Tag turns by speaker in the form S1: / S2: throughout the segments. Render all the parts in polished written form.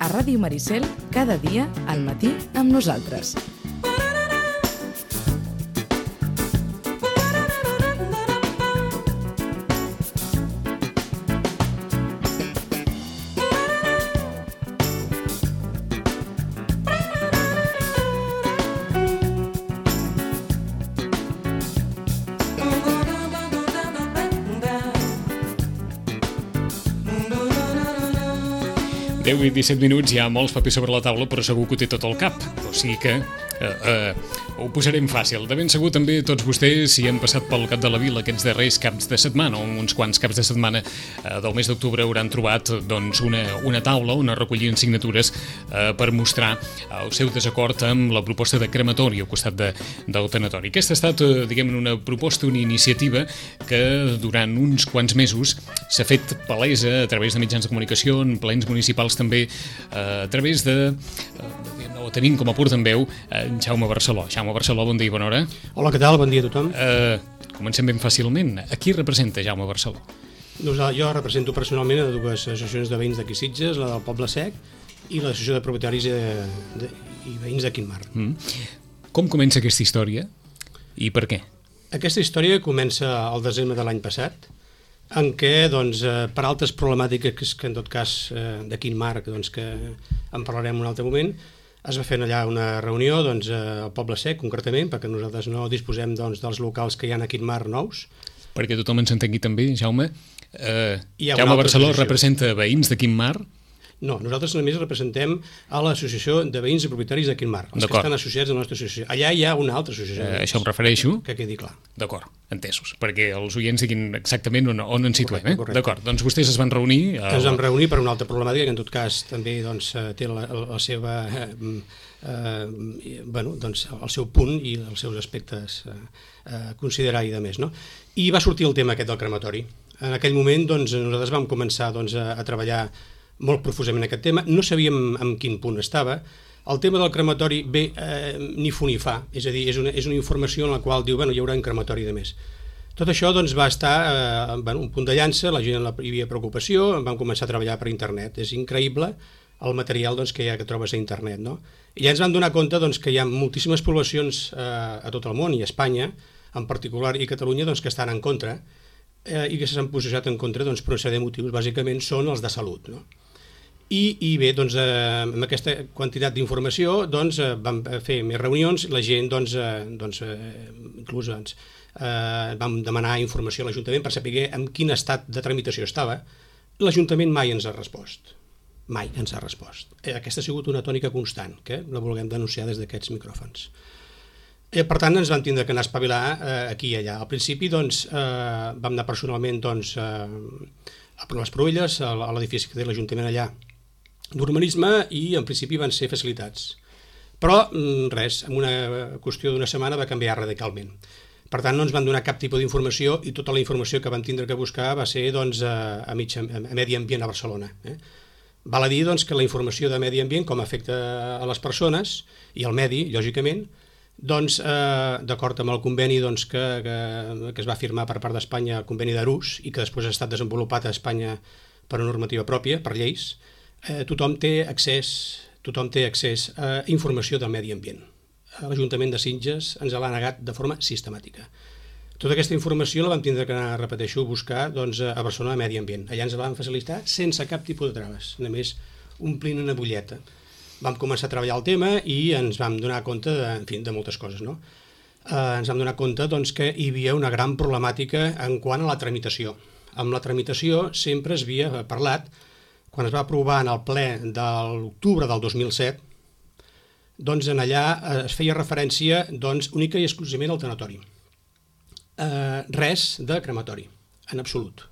S1: a Ràdio Maricel, cada dia al matí amb nosaltres.
S2: Deu i 17 minuts, hi ha molts papers sobre la taula, però segur que ho té tot al cap. O sigui que ho posarem fàcil. De ben segur també tots vostès, si han passat pel Cap de la Vila aquests darrers caps de setmana, o uns quants caps de setmana del mes d'octubre, hauran trobat doncs, una taula on es recollien signatures per mostrar el seu desacord amb la proposta de crematori al costat del tanatori. Aquesta ha estat, diguem, una proposta, una iniciativa que durant uns quants mesos s'ha fet palesa a través de mitjans de comunicació, en plens municipals també, a través de... ho tenim com a portaveu en Jaume Barceló. Jaume Barceló, bon dia i bona hora.
S3: Hola, què tal? Bon dia a tothom.
S2: Comencem ben fàcilment. A qui representa Jaume Barceló?
S3: Jo represento personalment a dues associacions de veïns d'aquí Sitges, la del Poble Sec i l'associació de propietaris i veïns de Quintmar.
S2: Com comença aquesta història i per què?
S3: Aquesta història comença al desembre de l'any passat, en què, doncs, per altres problemàtiques que en tot cas de Quintmar, doncs, que en parlarem en un altre moment, es va fer allà una reunió doncs, al Poble Sec, concretament, perquè nosaltres no disposem doncs, dels locals que hi ha a Quintmar nous.
S2: Perquè tothom ens entengui també, Jaume, Jaume Barceló representa veïns de Quintmar?
S3: No, nosaltres només representem a l'Associació de Veïns i Propietaris de Quintmar, els que estan associats a la nostra associació. Allà hi ha una altra associació.
S2: Això em refereixo.
S3: Que quedi clar.
S2: D'acord, entesos, perquè els oients diguin exactament on ens situem.
S3: Correcte.
S2: D'acord, doncs vostès es van reunir...
S3: Ens vam reunir per una altra problemàtica que en tot cas també doncs, té la seva... doncs, el seu punt i els seus aspectes a considerar i de més. No? I va sortir el tema aquest del crematori. En aquell moment doncs, nosaltres vam començar doncs, a treballar molt profusament aquest tema, no sabíem en quin punt estava. El tema del crematori ve ni fu ni fa, és a dir, és una informació en la qual diu, hi haurà un crematori de més. Tot això doncs, va estar un punt de llança, la gent hi havia preocupació, vam començar a treballar per internet. És increïble el material doncs, que hi ha que trobes a internet. No? I ja ens vam donar compte doncs, que hi ha moltíssimes poblacions a tot el món, i a Espanya en particular, i Catalunya, doncs, que estan en contra, i que s'han posicionat en contra doncs, per una sèrie de motius, bàsicament són els de salut. No? I bé, doncs, amb aquesta quantitat d'informació doncs, vam fer més reunions, la gent inclús vam demanar informació a l'Ajuntament per saber en quin estat de tramitació estava. L'Ajuntament mai ens ha respost. Mai ens ha respost. Aquesta ha sigut una tònica constant, que la volem denunciar des d'aquests micròfons. Per tant, ens vam tindre que anar a espavilar aquí i allà. Al principi doncs, vam anar personalment doncs, a les Proelles, a l'edifici que té l'Ajuntament allà, d'urbanisme, i en principi van ser facilitats. Però res, en una qüestió d'una setmana va canviar radicalment. Per tant, no ens van donar cap tipus d'informació i tota la informació que vam tindre que buscar va ser doncs, a Medi Ambient a Barcelona. Val a dir doncs, que la informació de Medi Ambient, com afecta a les persones i al medi, lògicament, doncs, d'acord amb el conveni doncs, que es va firmar per part d'Espanya, el conveni d'Arús, i que després ha estat desenvolupat a Espanya per una normativa pròpia, per lleis, tothom té accés a informació del medi ambient. L'Ajuntament de Sitges ens l'ha negat de forma sistemàtica. Tota aquesta informació la vam tindre que anar, repeteixo, a buscar doncs, a Barcelona Medi Ambient. Allà ens la vam facilitar sense cap tipus de traves, només omplint una butlleta. Vam començar a treballar el tema i ens vam donar compte de moltes coses. No? Ens vam donar compte doncs, que hi havia una gran problemàtica en quant a la tramitació. Amb la tramitació sempre es havia parlat, quan es va aprovar en el ple de l'octubre del 2007, doncs en allà es feia referència doncs, única i exclusivament al tanatori. Res de crematori, en absolut.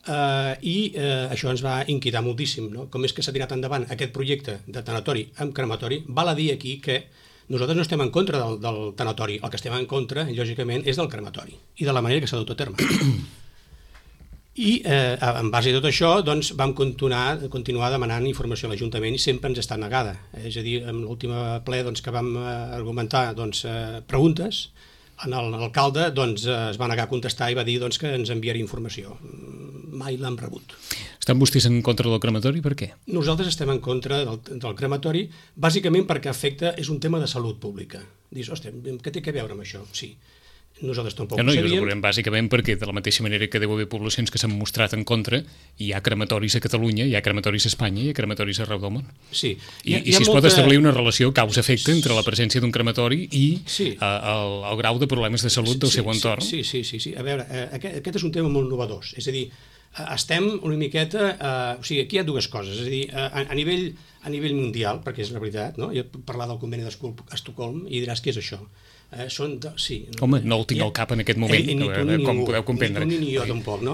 S3: I això ens va inquietar moltíssim. No? Com és que s'ha tirat endavant aquest projecte de tanatori amb crematori, val a dir aquí que nosaltres no estem en contra del tanatori, el que estem en contra, lògicament, és del crematori i de la manera que s'ha dut a terme. I en base a tot això doncs, vam continuar demanant informació a l'Ajuntament i sempre ens està negada. És a dir, en l'últim ple doncs, que vam argumentar doncs, preguntes, l'alcalde doncs, es va negar a contestar i va dir doncs, que ens enviaria informació. Mai l'hem rebut.
S2: Estan vostès en contra del crematori? Per què?
S3: Nosaltres estem en contra del crematori, bàsicament perquè és un tema de salut pública. Dius, hòstia, què té a veure amb això? Sí. Nosaltres tampoc ho sabíem.
S2: Bàsicament perquè de la mateixa manera que deu haver poblacions que s'han mostrat en contra, hi ha crematoris a Catalunya, hi ha crematoris a Espanya, hi ha crematoris arreu del món.
S3: Sí.
S2: I si es pot establir una relació causa-efecte entre la presència d'un crematori i el grau de problemes de salut del seu entorn.
S3: Sí. A veure, aquest és un tema molt innovador. És a dir, estem una miqueta... O sigui, aquí hi ha dues coses. És a dir, a nivell mundial, perquè és la veritat, no? Jo puc parlar del conveni d'Estocolm i diràs què és això.
S2: Home, no el tinc al cap en aquest moment, com podeu comprendre.
S3: Ni jo tampoc, no?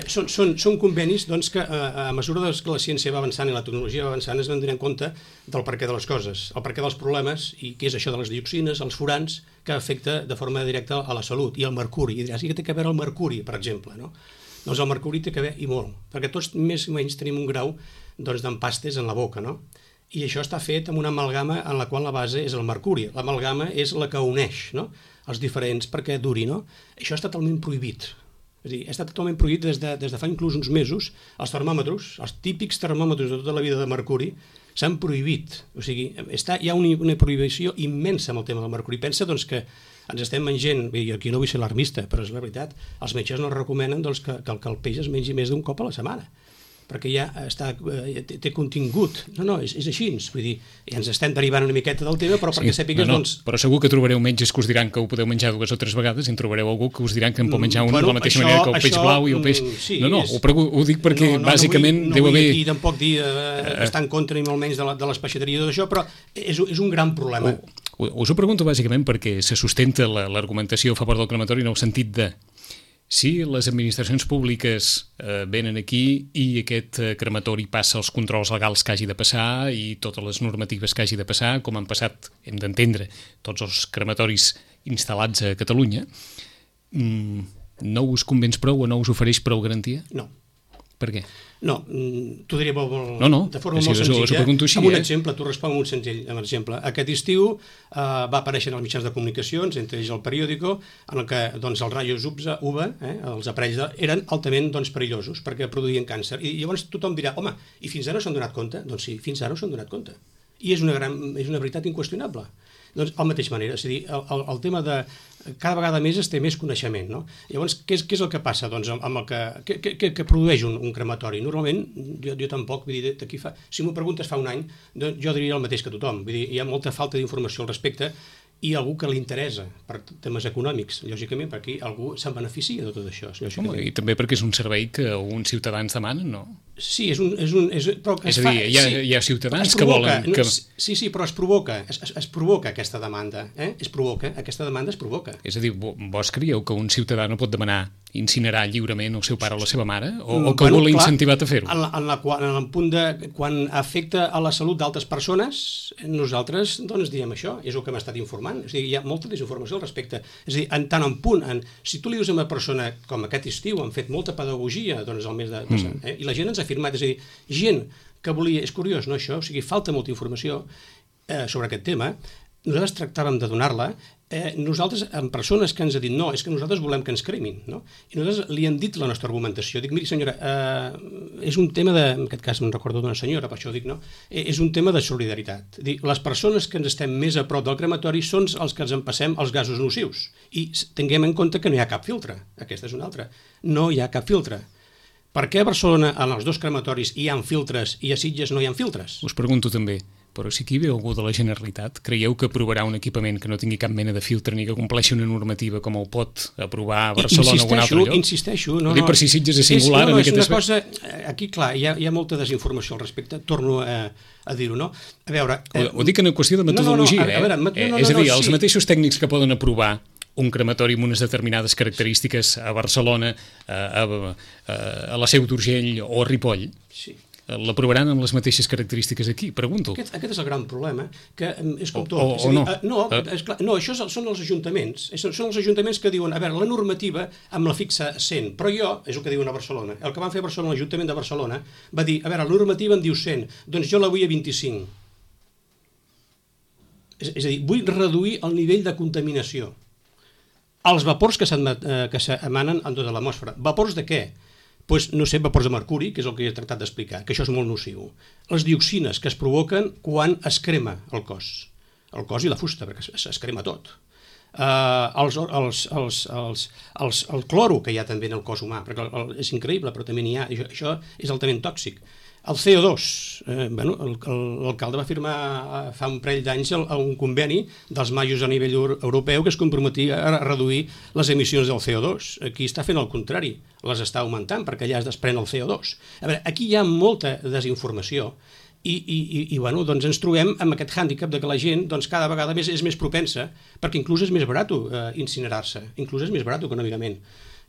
S3: Són convenis que a mesura que la ciència va avançant i la tecnologia va avançant es van donar compte del perquè de les coses, el perquè dels problemes i què és això de les dioxines, els furans, que afecta de forma directa a la salut, i el mercuri. I diràs, què té a veure el mercuri, per exemple, no? Doncs el mercuri té a veure, i molt, perquè tots més o menys tenim un grau d'empastes en la boca, no? I això està fet amb una amalgama en la qual la base és el mercuri. L'amalgama és la que uneix, no?, els diferents perquè duri, no? Això està totalment prohibit. És a dir, està totalment prohibit des de fa inclús uns mesos. Els termòmetres, els típics termòmetres de tota la vida de mercuri, s'han prohibit. O sigui, hi ha una prohibició immensa amb el tema del mercuri. Pensa, doncs, que ens estem menjant, i aquí no vull ser alarmista, però és la veritat, els metges no recomenen que el peix es mengi més d'un cop a la setmana, perquè ja té contingut. No, és així. Vull dir, ja ens estem derivant una miqueta del tema, però perquè sàpigues, doncs...
S2: Però segur que trobareu metges que us diran que ho podeu menjar 2 o 3 vegades i en trobareu algú que us diran que en pot menjar una de la mateixa manera que el peix blau i el peix... Ho dic perquè bàsicament deu haver...
S3: No vull aquí tampoc dir estar en contra ni molt menys de l'espeixateria d'això, però és un gran problema.
S2: Us ho pregunto bàsicament perquè se sustenta l'argumentació a favor del crematori en el sentit de si les administracions públiques venen aquí i aquest crematori passa els controls legals que hagi de passar i totes les normatives que hagi de passar, com han passat, hem d'entendre, tots els crematoris instal·lats a Catalunya, no us convenç prou o no us ofereix prou garantia?
S3: No.
S2: Per què?
S3: No, t'ho diré de forma molt senzilla. Amb un exemple, t'ho responc amb un senzill exemple. Aquest estiu va aparèixer en els mitjans de comunicacions, entre ells el periòdico, en el que els rajos UVA, els aparells, eren altament perillosos perquè produïen càncer. I llavors tothom dirà, home, i fins ara s'han donat compte? Doncs sí, fins ara s'han donat compte. I és una veritat inqüestionable. Doncs, de la mateixa manera, és a dir, el tema de cada vegada més es té més coneixement, no? Llavors, què és el que passa amb el que produeix un crematori? Normalment, jo tampoc, vull dir, si m'ho preguntes fa un any, jo diria el mateix que tothom, vull dir, hi ha molta falta d'informació al respecte i algú que li interessa per temes econòmics, lògicament, perquè algú se'n beneficia de tot això.
S2: I també perquè és un servei que uns ciutadans demanen, no?
S3: Sí, és
S2: a dir, hi ha ciutadans que volen...
S3: Sí, però es provoca aquesta demanda. Aquesta demanda es provoca.
S2: És a dir, vos creieu que un ciutadà no pot demanar incinerar lliurement el seu pare o la seva mare? O que algú l'ha incentivat a fer-ho?
S3: En el punt de quan afecta a la salut d'altres persones, nosaltres diem això, és el que hem estat informant. És a dir, hi ha molta desinformació al respecte. És a dir, en tant en punt, si tu li dius a una persona, com aquest estiu, han fet molta pedagogia al mes de... i la gent ens ha afirmat, és a dir, gent que volia... És curiós, no, això? O sigui, falta molta informació sobre aquest tema. Nosaltres tractàvem de donar-la. Nosaltres, amb persones que ens ha dit no, és que nosaltres volem que ens cremin, no? I nosaltres li hem dit la nostra argumentació. Dic, miri senyora, és un tema de... En aquest cas me'n recordo d'una senyora, per això dic, no? És un tema de solidaritat. Dic, les persones que ens estem més a prop del crematori són els que ens empassem els gasos nocius. I tinguem en compte que no hi ha cap filtre. Aquesta és una altra. No hi ha cap filtre. Per què a Barcelona, en els 2 crematoris, hi ha filtres i a Sitges no hi ha filtres?
S2: Us pregunto també, però si aquí ve algú de la Generalitat, creieu que aprovarà un equipament que no tingui cap mena de filtre ni que compleixi una normativa com el pot aprovar a Barcelona o un altre lloc?
S3: Insisteixo.
S2: Ho dic per si Sitges és singular en aquest aspecte.
S3: Aquí, clar, hi ha molta desinformació al respecte, torno a dir-ho, no? A veure...
S2: Ho dic en qüestió de metodologia, és a dir, els mateixos tècnics que poden aprovar un crematori amb unes determinades característiques a Barcelona, a la Seu d'Urgell o a Ripoll, l'aprovaran amb les mateixes característiques aquí, pregunto.
S3: Aquest és el gran problema, que és com tot.
S2: O no.
S3: No, això són els ajuntaments. Són els ajuntaments que diuen, a veure, la normativa em la fixa 100, però jo, és el que diuen a Barcelona, el que van fer a Barcelona, l'Ajuntament de Barcelona, va dir, a veure, la normativa em diu 100, doncs jo la vull a 25. És a dir, vull reduir el nivell de contaminació. Els vapors que s'emanen en tota l'atmosfera. Vapors de què? doncs, no sé, vapors de mercuri, que és el que he tractat d'explicar, que això és molt nociu. Les dioxines que es provoquen quan es crema el cos i la fusta, perquè es crema tot. El cloro que hi ha també en el cos humà, perquè és increïble, però també n'hi ha, això és altament tòxic. El CO2, l'alcalde va firmar fa un parell d'anys un conveni dels majos a nivell europeu que es comprometia a reduir les emissions del CO2. Aquí està fent el contrari, les està augmentant perquè allà es desprèn el CO2. A veure, aquí hi ha molta desinformació i doncs ens trobem amb aquest hàndicap de que la gent cada vegada més és més propensa, perquè inclús és més barat incinerar-se, inclús és més barat econòmicament.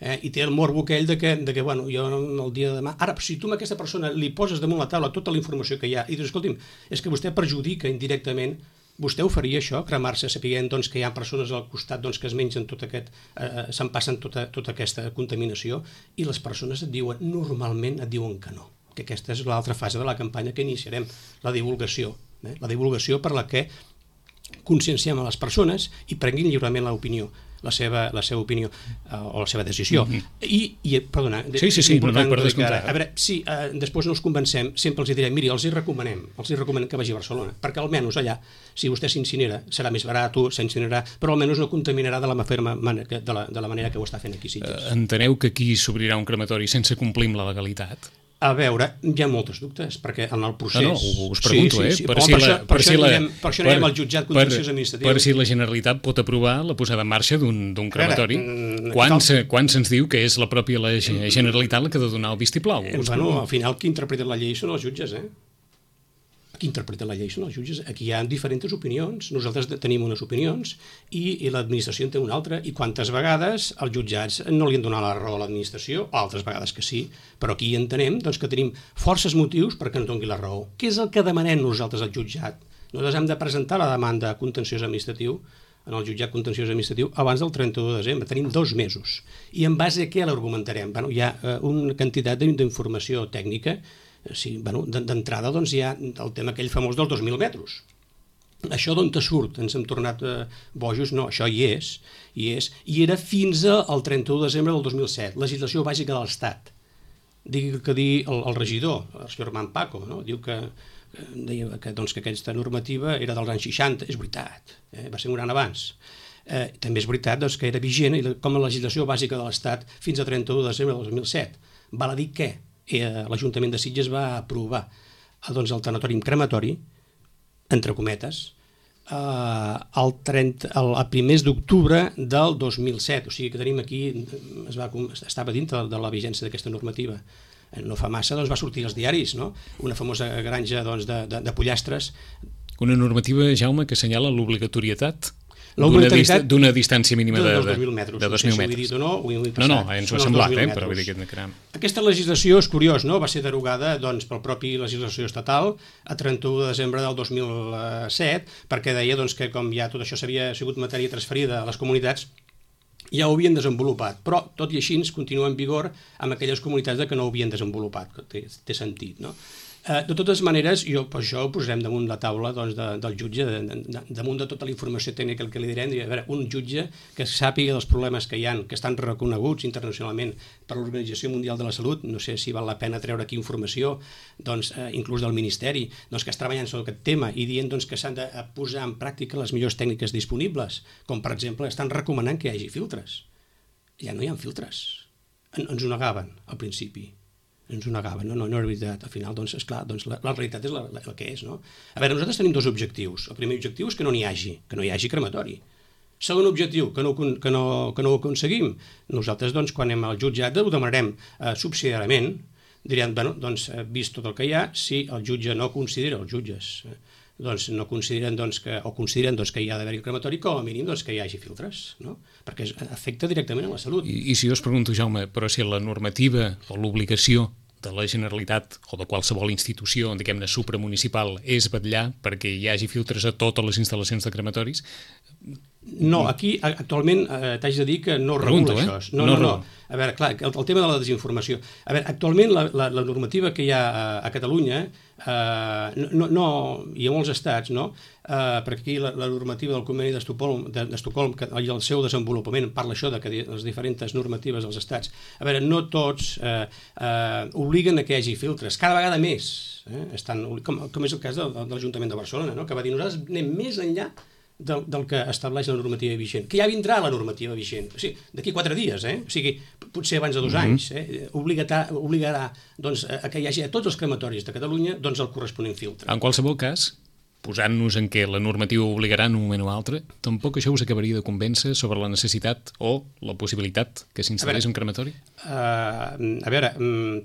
S3: I té el morbo aquell de que jo el dia de demà... Ara, si tu a aquesta persona li poses damunt la taula tota la informació que hi ha i dius, escolti'm, és que vostè perjudica indirectament, vostè ho faria això, cremar-se sapiguent que hi ha persones al costat que es mengen tot aquest... se'n passen tota aquesta contaminació i les persones normalment et diuen que no, que aquesta és l'altra fase de la campanya que iniciarem, la divulgació per la que conscienciem a les persones i prenguin lliurement l'opinió, la seva opinió o la seva decisió. Perdona,
S2: sí, per descomptar.
S3: A veure, si després no els convencem, sempre els direm, miri, els hi recomanem que vagi a Barcelona, perquè almenys allà, si vostè s'incinera, serà més barat, s'incinerarà, però almenys no contaminarà de la manera que ho està fent aquí.
S2: Enteneu que aquí s'obrirà un crematori sense complir amb la legalitat?
S3: A veure, hi ha molts dubtes, perquè en el procés...
S2: No, us pregunto,
S3: per això anirem al jutjat contenciós administratiu.
S2: Per si la Generalitat pot aprovar la posada en marxa d'un crematori. Quan se'ns diu que és la pròpia Generalitat la que ha de donar el vistiplau?
S3: Al final qui interpreta la llei són els jutges, Qui interpreta la llei són els jutges. Aquí hi ha diferents opinions, nosaltres tenim unes opinions i l'administració en té una altra, i quantes vegades els jutjats no li han donat la raó a l'administració, altres vegades que sí, però aquí entenem que tenim forces motius perquè ens doni la raó. Què és el que demanem nosaltres al jutjat? Nosaltres hem de presentar la demanda contenciós administratiu en el jutjat contenciós administratiu abans del 31 de desembre, tenim 2 mesos. I en base a què l'argumentarem? Hi ha una quantitat d'informació tècnica. D'entrada hi ha el tema aquell famós dels 2.000 metres. Això d'on te surt? Ens hem tornat bojos? No, això hi és. I era fins al 31 de desembre del 2007, legislació bàsica de l'Estat. Digui que dir el regidor, el senyor Armand Paco, diu que deia que aquesta normativa era dels anys 60, és veritat, va ser un any abans. També és veritat que era vigent com a legislació bàsica de l'Estat fins al 31 de desembre del 2007. Val a dir que l'Ajuntament de Sitges va aprovar el tanatori crematori, entre cometes, el primers d'octubre del 2007, o sigui que tenim aquí, estava dintre de la vigència d'aquesta normativa. No fa massa va sortir als diaris, una famosa granja de pollastres.
S2: Una normativa, Jaume, que assenyala l'obligatorietat d'una distància mínima de 2.000 metres.
S3: No sé si ho he dit o no, ho he passat.
S2: No, ens ho ha semblat, però vull dir que...
S3: Aquesta legislació és curiós, va ser derogada pel propi legislació estatal a 31 de desembre del 2007, perquè deia que com ja tot això s'havia sigut matèria transferida a les comunitats, ja ho havien desenvolupat, però tot i així continua en vigor amb aquelles comunitats que no ho havien desenvolupat, que té sentit, no? De totes maneres, per això ho posarem damunt la taula del jutge, damunt de tota la informació tècnica que li direm, un jutge que sàpiga dels problemes que hi ha, que estan reconeguts internacionalment per l'Organització Mundial de la Salut, no sé si val la pena treure aquí informació, inclús del Ministeri, que es treballen sobre aquest tema i dient que s'han de posar en pràctica les millors tècniques disponibles, com per exemple estan recomanant que hi hagi filtres. Ja no hi ha filtres. Ens ho negaven al principi. Ens ho negaven, no és veritat. Al final, esclar, la realitat és el que és, no? A veure, nosaltres tenim 2 objectius. El primer objectiu és que no n'hi hagi crematori. Segon objectiu, que no ho aconseguim. Nosaltres, quan anem al jutjat, ho demanarem subsidiàriament, direm, vist tot el que hi ha, si el jutge no considera, els jutges, no consideren que hi ha d'haver-hi el crematori, com a mínim que hi hagi filtres, no? Perquè afecta directament a la salut.
S2: I si jo us pregunto, Jaume, però si la normativa o l'obligació de la Generalitat o de qualsevol institució, diguem-ne, supramunicipal, és vetllar perquè hi hagi filtres a totes les instal·lacions de crematoris,
S3: No, aquí actualment t'haig de dir que no regula això. No. A veure, clar, el tema de la desinformació. A veure, actualment la normativa que hi ha a Catalunya i a molts estats, no? Perquè aquí la normativa del Conveni d'Estocolm i el seu desenvolupament parla això de que les diferents normatives dels estats, a veure, no tots obliguen a que hi hagi filtres, cada vegada més, com és el cas de l'Ajuntament de Barcelona, no? Que va dir nosaltres anem més enllà del que estableix la normativa vigent, que ja vindrà la normativa vigent, o sigui, d'aquí 4 dies, o sigui, potser abans de 2 anys, obligarà doncs, a que hi hagi a tots els crematoris de Catalunya doncs, el corresponent filtre.
S2: En qualsevol cas, posant-nos en què la normativa obligarà en un moment o altre, tampoc això us acabaria de convèncer sobre la necessitat o la possibilitat que s'instal·lés un crematori?
S3: A veure,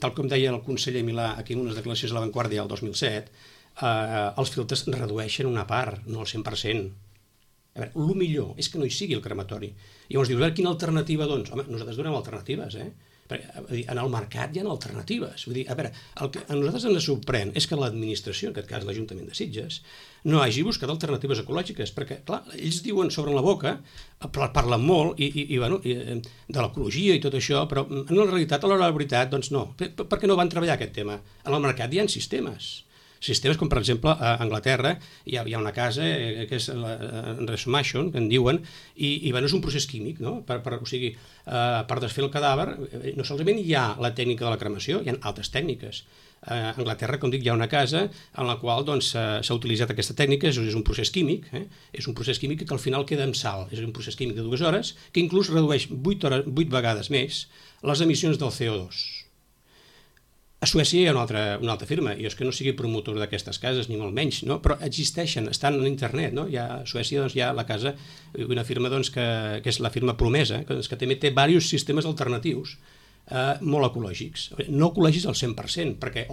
S3: tal com deia el conseller Milà aquí en unes declaracions a La Vanguardia el 2007, els filtres redueixen una part, no el 100%. A veure, el millor és que no hi sigui el crematori. I llavors dius, a veure, quina alternativa, doncs? Home, nosaltres donem alternatives, Perquè en el mercat hi ha alternatives. Vull dir, a veure, el que a nosaltres ens sorprèn és que l'administració, en aquest cas l'Ajuntament de Sitges, no hagi buscat alternatives ecològiques, perquè, clar, ells diuen sobre la boca, parlen molt de l'ecologia i tot això, però en la realitat, a l'hora de la veritat, doncs no. Per què no van treballar aquest tema? En el mercat hi ha sistemes com per exemple a Anglaterra hi ha una casa que és resmation, que en diuen, i és un procés químic, no? O sigui, per desfer el cadàver no solament hi ha la tècnica de la cremació, hi ha altres tècniques. A Anglaterra, com dic, hi ha una casa en la qual s'ha utilitzat aquesta tècnica, és un procés químic, és un procés químic que al final queda amb sal, és un procés químic de 2 hores que inclús redueix 8 vegades més les emissions del CO2. A Suècia hi ha una altra firma, jo és que no sigui promotor d'aquestes cases, ni molt menys, no? Però existeixen, estan en internet, no? A Suècia hi ha la casa, una firma que és la firma Promesa, que també té diversos sistemes alternatius molt ecològics. No ecològics al 100%, perquè,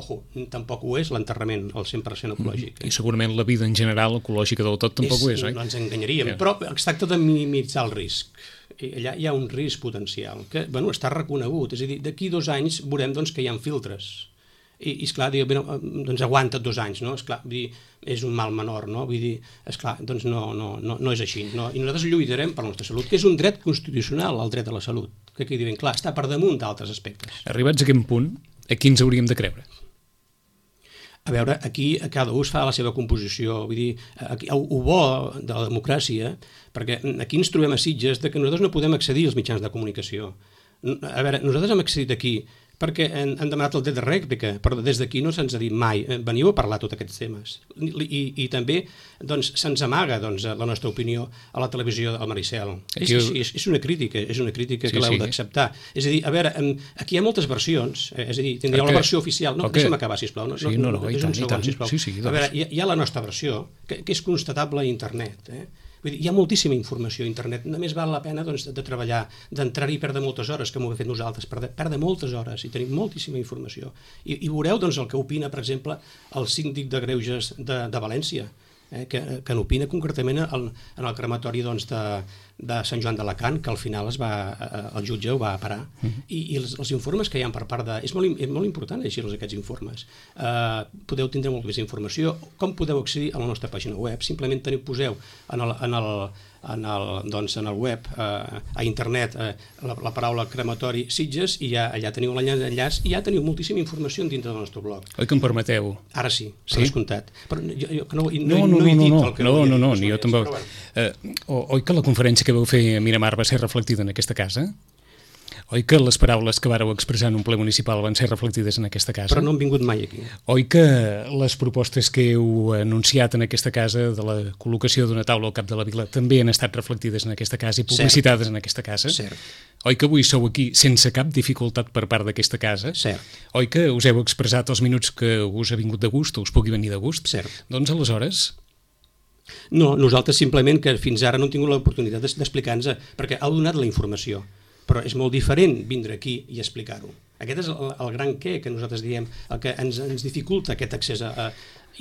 S3: tampoc ho és l'enterrament al 100% ecològic.
S2: I segurament la vida en general ecològica del tot tampoc ho és, oi?
S3: No ens enganyaríem, però es tracta de minimitzar el risc. Allà hi ha un risc potencial que està reconegut, és a dir, d'aquí 2 anys veurem que hi ha filtres i esclar, doncs aguanta 2 anys, no? Esclar, és un mal menor, no? Vull dir, esclar, doncs no és així, no? I nosaltres lluitarem per la nostra salut, que és un dret constitucional, el dret a la salut, que quedi ben clar, està per damunt d'altres aspectes.
S2: Arribats a aquest punt, a qui ens hauríem de creure?
S3: A veure, aquí cada ús fa la seva composició, vull dir, el bo de la democràcia, perquè aquí ens trobem a Sitges que nosaltres no podem accedir als mitjans de comunicació. A veure, nosaltres hem accedit aquí perquè han demanat el dret de rèplica, però des d'aquí no se'ns ha dit mai, veniu a parlar tots aquests temes. I també se'ns amaga la nostra opinió a la televisió del Maricel. És una crítica que l'heu d'acceptar. És a dir, a veure, aquí hi ha moltes versions, és a dir, tindríeu la versió oficial. No, deixa'm acabar, sisplau.
S2: No, és un segon, sisplau.
S3: A veure, hi ha la nostra versió, que és constatable a internet, Vull dir, hi ha moltíssima informació a internet, només val la pena de treballar, d'entrar-hi i perdre moltes hores, com ho hem fet nosaltres, perdre moltes hores i tenim moltíssima informació. I veureu el que opina, per exemple, el síndic de Greuges de València, que n'opina concretament en el crematori de Sant Joan d'Alacant, que al final el jutge ho va parar. I els informes que hi ha per part de... És molt important llegir-los aquests informes. Podeu tindre molta més informació. Com podeu accedir a la nostra pàgina web? Simplement poseu en el web, a internet, la paraula crematori Sitges i allà teniu l'enllaç i ja teniu moltíssima informació dintre del nostre blog.
S2: Oi que em permeteu?
S3: Ara sí, per descomptat.
S2: No, ni jo tampoc. Oi que la conferència que vau fer a Miramar va ser reflectida en aquesta casa? Oi que les paraules que vàreu expressar en un ple municipal van ser reflectides en aquesta casa?
S3: Però no han vingut mai aquí.
S2: Oi que les propostes que heu anunciat en aquesta casa de la col·locació d'una taula al cap de la vila també han estat reflectides en aquesta casa i publicitades en aquesta casa?
S3: Cert.
S2: Oi que avui sou aquí sense cap dificultat per part d'aquesta casa?
S3: Cert.
S2: Oi que us heu expressat els minuts que us ha vingut de gust o us pugui venir de gust?
S3: Cert.
S2: Doncs aleshores...
S3: No, nosaltres simplement que fins ara no hem tingut l'oportunitat d'explicar-nos, perquè heu donat la informació, però és molt diferent vindre aquí i explicar-ho. Aquest és el gran què que nosaltres diem, el que ens dificulta aquest accés a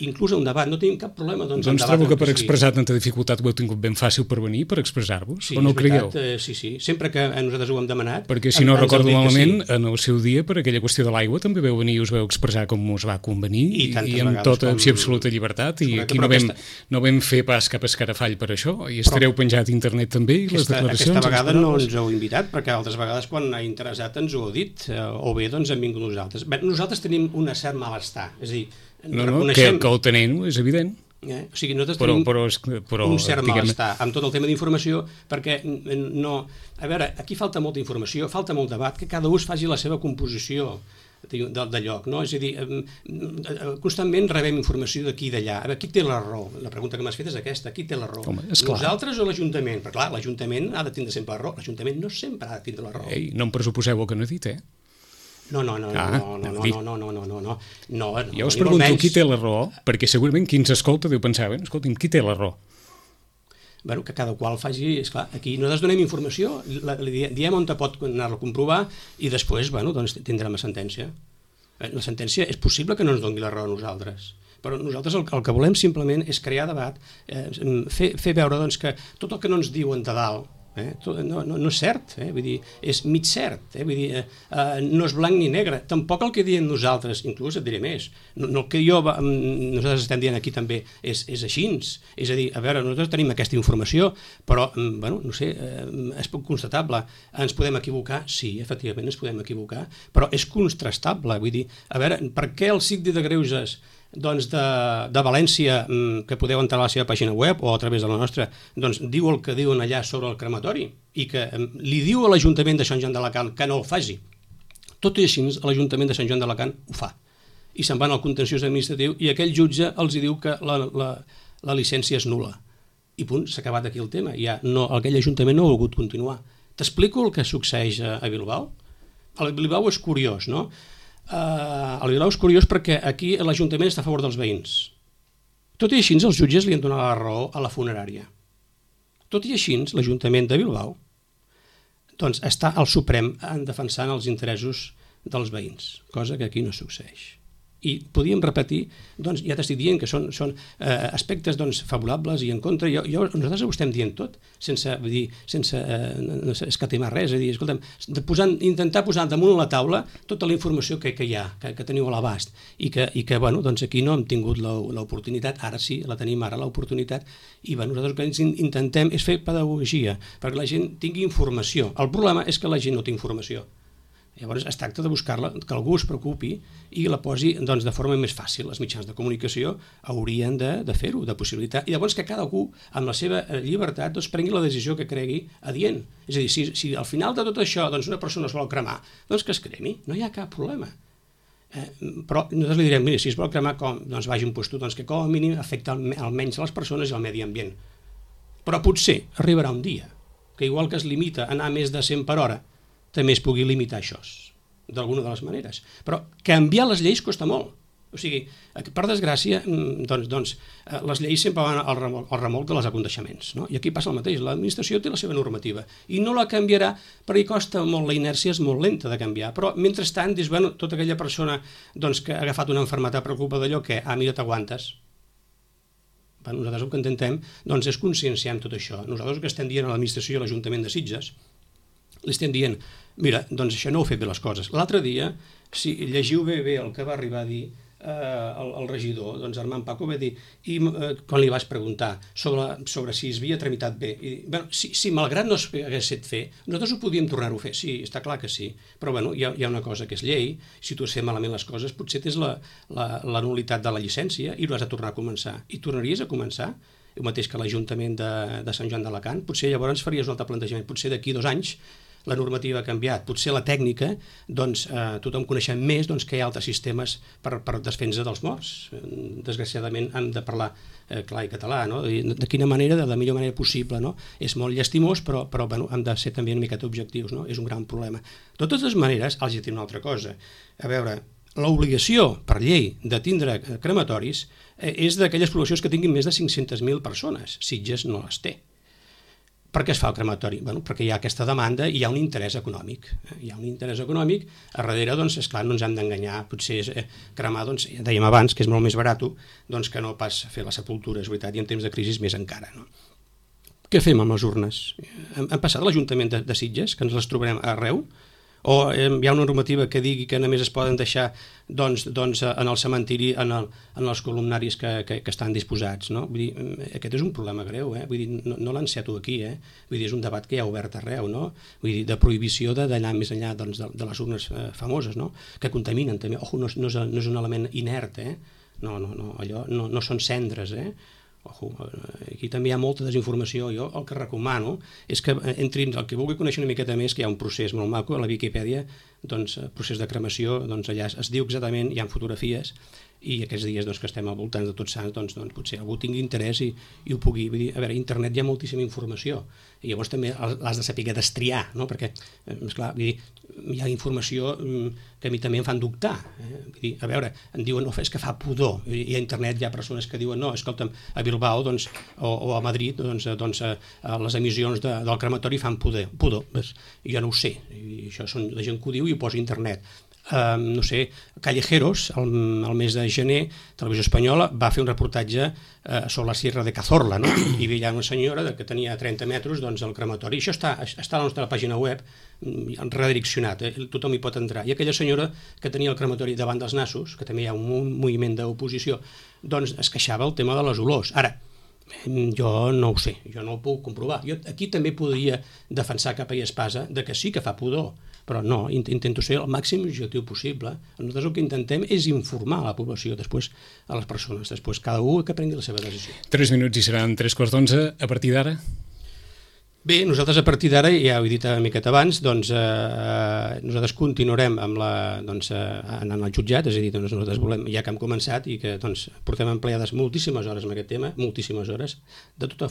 S3: inclús un debat, no tenim cap problema.
S2: Doncs trobo que per expressar tanta dificultat ho heu tingut ben fàcil per venir, per expressar-vos, o no ho creieu?
S3: Sí, sempre que nosaltres ho hem demanat...
S2: Perquè si no recordo malament, en el seu dia, per aquella qüestió de l'aigua, també veu venir i us veu expressar com us va convenir, i amb tota absoluta llibertat, i aquí no vam fer pas cap escarafall per això, i estareu penjat a internet també, i les declaracions...
S3: Aquesta vegada no ens heu invitat, perquè altres vegades quan ha interessat ens ho heu dit, o bé doncs hem vingut nosaltres. Nosaltres tenim un cert malestar, és a dir,
S2: que el tenim, és evident.
S3: O sigui, nosaltres tenim un cert malestar amb tot el tema d'informació, perquè no... A veure, aquí falta molta informació, falta molt debat, que cada ús faci la seva composició de lloc, no? És a dir, constantment rebem informació d'aquí i d'allà. A veure, qui té la raó? La pregunta que m'has fet és aquesta, qui té la raó? Nosaltres o l'Ajuntament? Perquè clar, l'Ajuntament ha de tindre sempre la raó, l'Ajuntament no sempre ha de tindre la raó.
S2: Ei, no em pressuposeu el que no he dit,
S3: No.
S2: Jo us pregunto qui té la raó, perquè segurament qui ens escolta deu pensar, escolti'm, qui té la raó?
S3: Bueno, que cada qual faci... Esclar, aquí nosaltres donem informació, diem on pot anar-la a comprovar i després, doncs tindrem la sentència. La sentència és possible que no ens doni la raó a nosaltres, però nosaltres el que volem simplement és crear debat, fer veure doncs, que tot el que no ens diuen de dalt no és cert, vull dir, és mig cert, vull dir, no és blanc ni negre, tampoc el que diem nosaltres, inclús et diré més, no el que nosaltres estem dient aquí també és així, és a dir, a veure, nosaltres tenim aquesta informació, però, no sé, és poc constatable, ens podem equivocar, sí, efectivament ens podem equivocar, però és contrastable, vull dir, a veure, per què el Síndic de Greuges doncs de València, que podeu entrar a la seva pàgina web o a través de la nostra, doncs diu el que diuen allà sobre el crematori i que li diu a l'Ajuntament de Sant Joan d'Alacant que no el faci. Tot i així, l'Ajuntament de Sant Joan d'Alacant ho fa. I se'n van al contenciós administratiu i aquell jutge els diu que la llicència és nul·la. I punt, s'ha acabat aquí el tema. Aquell Ajuntament no ha volgut continuar. T'explico el que succeeix a Bilbao? A Bilbao és curiós, no? A Bilbao és curiós perquè aquí l'Ajuntament està a favor dels veïns. Tot i així, els jutges li han donat la raó a la funerària. Tot i així, l'Ajuntament de Bilbao doncs, està al Suprem defensant els interessos dels veïns, cosa que aquí no succeeix. I podíem repetir, doncs ja t'estic dient que són aspectes favorables i en contra. Nosaltres ho estem dient tot, sense escatimar res, és a dir, escolta'm, intentar posar damunt la taula tota la informació que hi ha, que teniu a l'abast, i que aquí no hem tingut l'oportunitat, ara sí, la tenim ara l'oportunitat, i nosaltres el que intentem és fer pedagogia, perquè la gent tingui informació. El problema és que la gent no té informació. Llavors es tracta de buscar-la, que algú es preocupi i la posi de forma més fàcil. Els mitjans de comunicació haurien de fer-ho, de possibilitat, i llavors que cadascú, amb la seva llibertat, prengui la decisió que cregui adient. És a dir, si al final de tot això una persona es vol cremar, doncs que es cremi, no hi ha cap problema. Però nosaltres li direm, mira, si es vol cremar, doncs vagi un puesto que com a mínim afecta almenys les persones i el medi ambient. Però potser arribarà un dia que igual que es limita a anar més de 100 per hora, també es pugui limitar això, d'alguna de les maneres. Però canviar les lleis costa molt. O sigui, per desgràcia, les lleis sempre van al remolc de les aconteixements, no? I aquí passa el mateix, l'administració té la seva normativa i no la canviarà perquè costa molt, la inèrcia és molt lenta de canviar, però mentrestant, dius, tota aquella persona que ha agafat una malaltia per culpa d'allò que, mira, t'aguantes. Nosaltres el que intentem és conscienciar amb tot això. Nosaltres el que estem dient a l'administració i a l'Ajuntament de Sitges, li estem dient, mira, doncs això no heu fet bé les coses. L'altre dia, si llegiu bé el que va arribar a dir el regidor, doncs Armand Paco va dir, i quan li vas preguntar sobre si es havia tramitat bé, si malgrat no s'hagués fet fer, nosaltres ho podíem tornar-ho a fer, sí, està clar que sí, però hi ha una cosa que és llei, si tu has fet malament les coses, potser tens la nul·litat de la llicència i ho has de tornar a començar, i tornaries a començar, el mateix que l'Ajuntament de Sant Joan d'Alacant, potser llavors faries un altre plantejament, potser d'aquí 2 anys la normativa ha canviat, potser la tècnica, tothom coneixem més que hi ha altres sistemes per defensa dels morts. Desgraciadament han de parlar clar i català, no? De quina manera, de la millor manera possible, no? És molt llastimós, però hem de ser també una miqueta objectius, no? És un gran problema. De totes maneres, els diré una altra cosa. A veure, l'obligació per llei de tindre crematoris és d'aquelles poblacions que tinguin més de 500.000 persones. Sitges no les té. Per què es fa el crematori? Bueno, perquè hi ha aquesta demanda i hi ha un interès econòmic. Hi ha un interès econòmic, a darrere, doncs, esclar, no ens hem d'enganyar, potser cremar, doncs, ja dèiem abans, que és molt més barat, doncs que no pas fer la sepultura, és veritat, i en temps de crisi més encara, no? Què fem amb les urnes? Hem passat a l'Ajuntament de Sitges, que ens les trobarem arreu, o hi ha una normativa que digui que només es poden deixar doncs, en el cementiri, en els columnaris que estan disposats, no? Vull dir, aquest és un problema greu, vull dir, no l'enceto aquí, vull dir, és un debat que hi ha obert arreu, no? Vull dir, de prohibició d'anar més enllà doncs, de les urnes famoses, no? Que contaminen també, no és un element inert, no, allò no són cendres, Ojo, aquí també hi ha molta desinformació. Jo el que recomano és que entrin, el que vulgui conèixer una miqueta més, que hi ha un procés molt maco a la Viquipèdia, doncs, procés de cremació, doncs allà es diu exactament, hi ha fotografies, i aquests dies doncs, que estem al voltant de Tots Sants, doncs potser algú tingui interès i ho pugui. Vull dir, a veure, a internet hi ha moltíssima informació, i llavors també l'has de saber destriar, no? Perquè, esclar, vull dir, hi ha informació que a mi també em fan dubtar. Vull dir, a veure, em diuen, no, és que fa pudor, i a internet hi ha persones que diuen, no, escolta'm, a Bilbao doncs, o a Madrid doncs, les emissions del crematori fan pudor. Jo no ho sé, i això són la gent que ho diu i ho posa a internet. No sé, Callejeros, el mes de gener, Televisió Espanyola va fer un reportatge sobre la Sierra de Cazorla, no? I hi havia una senyora que tenia 30 metres doncs, al crematori. Això està a la nostra pàgina web, redireccionat, tothom hi pot entrar. I aquella senyora que tenia el crematori davant dels nassos, que també hi ha un moviment d'oposició, doncs es queixava el tema de les olors. Ara, jo no ho sé, jo no ho puc comprovar. Jo aquí també podria defensar capa i espasa de que sí que fa pudor, però no, intento ser el màxim objectiu possible. Nosaltres el que intentem és informar a la població, després a les persones, després cada un que prengui la seva decisió.
S2: 3 minuts i seran 3:15. A partir d'ara?
S3: Bé, nosaltres a partir d'ara, ja ho he dit una miqueta abans, doncs nosaltres continuarem amb anant al jutjat, és a dir, nosaltres volem, ja que hem començat i que doncs, portem empleades moltíssimes hores en aquest tema, moltíssimes hores, de tota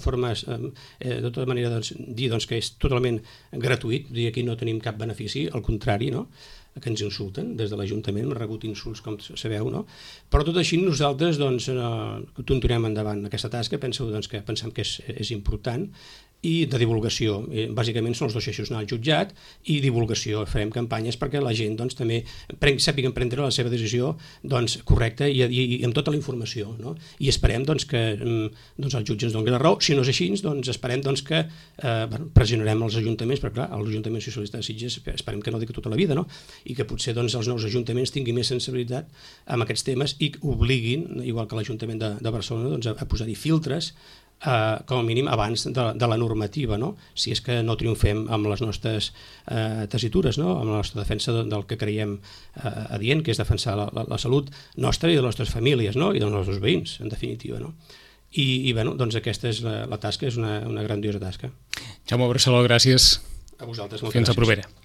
S3: manera dir que és totalment gratuït, dir aquí no tenim cap benefici, al contrari, no? Que ens insulten des de l'Ajuntament, hem rebut insults, com sabeu, no? Però tot així nosaltres continuarem endavant aquesta tasca, pensem que és important, i de divulgació. Bàsicament són els dos eixos, anar al jutjat i divulgació. Farem campanyes perquè la gent també sàpiguen prendre la seva decisió correcta i amb tota la informació, no? I esperem que el jutge ens doni la raó. Si no és així, esperem que pressionarem els ajuntaments, perquè clar, l'Ajuntament Socialista de Sitges esperem que no digui tota la vida, no? I que potser els nous ajuntaments tinguin més sensibilitat amb aquests temes i obliguin, igual que l'Ajuntament de Barcelona, a posar-hi filtres com a mínim abans de la normativa, no? Si és que no triomfem amb les nostres tessitures, no? Amb la nostra defensa del que creiem adient, que és defensar la salut nostra i de les nostres famílies, no? I dels nostres veïns, en definitiva, no? I aquesta és la tasca, és una grandiosa tasca.
S2: Jaume Barceló, gràcies.
S3: A vosaltres,
S2: Fins
S3: moltes gràcies.
S2: a propera.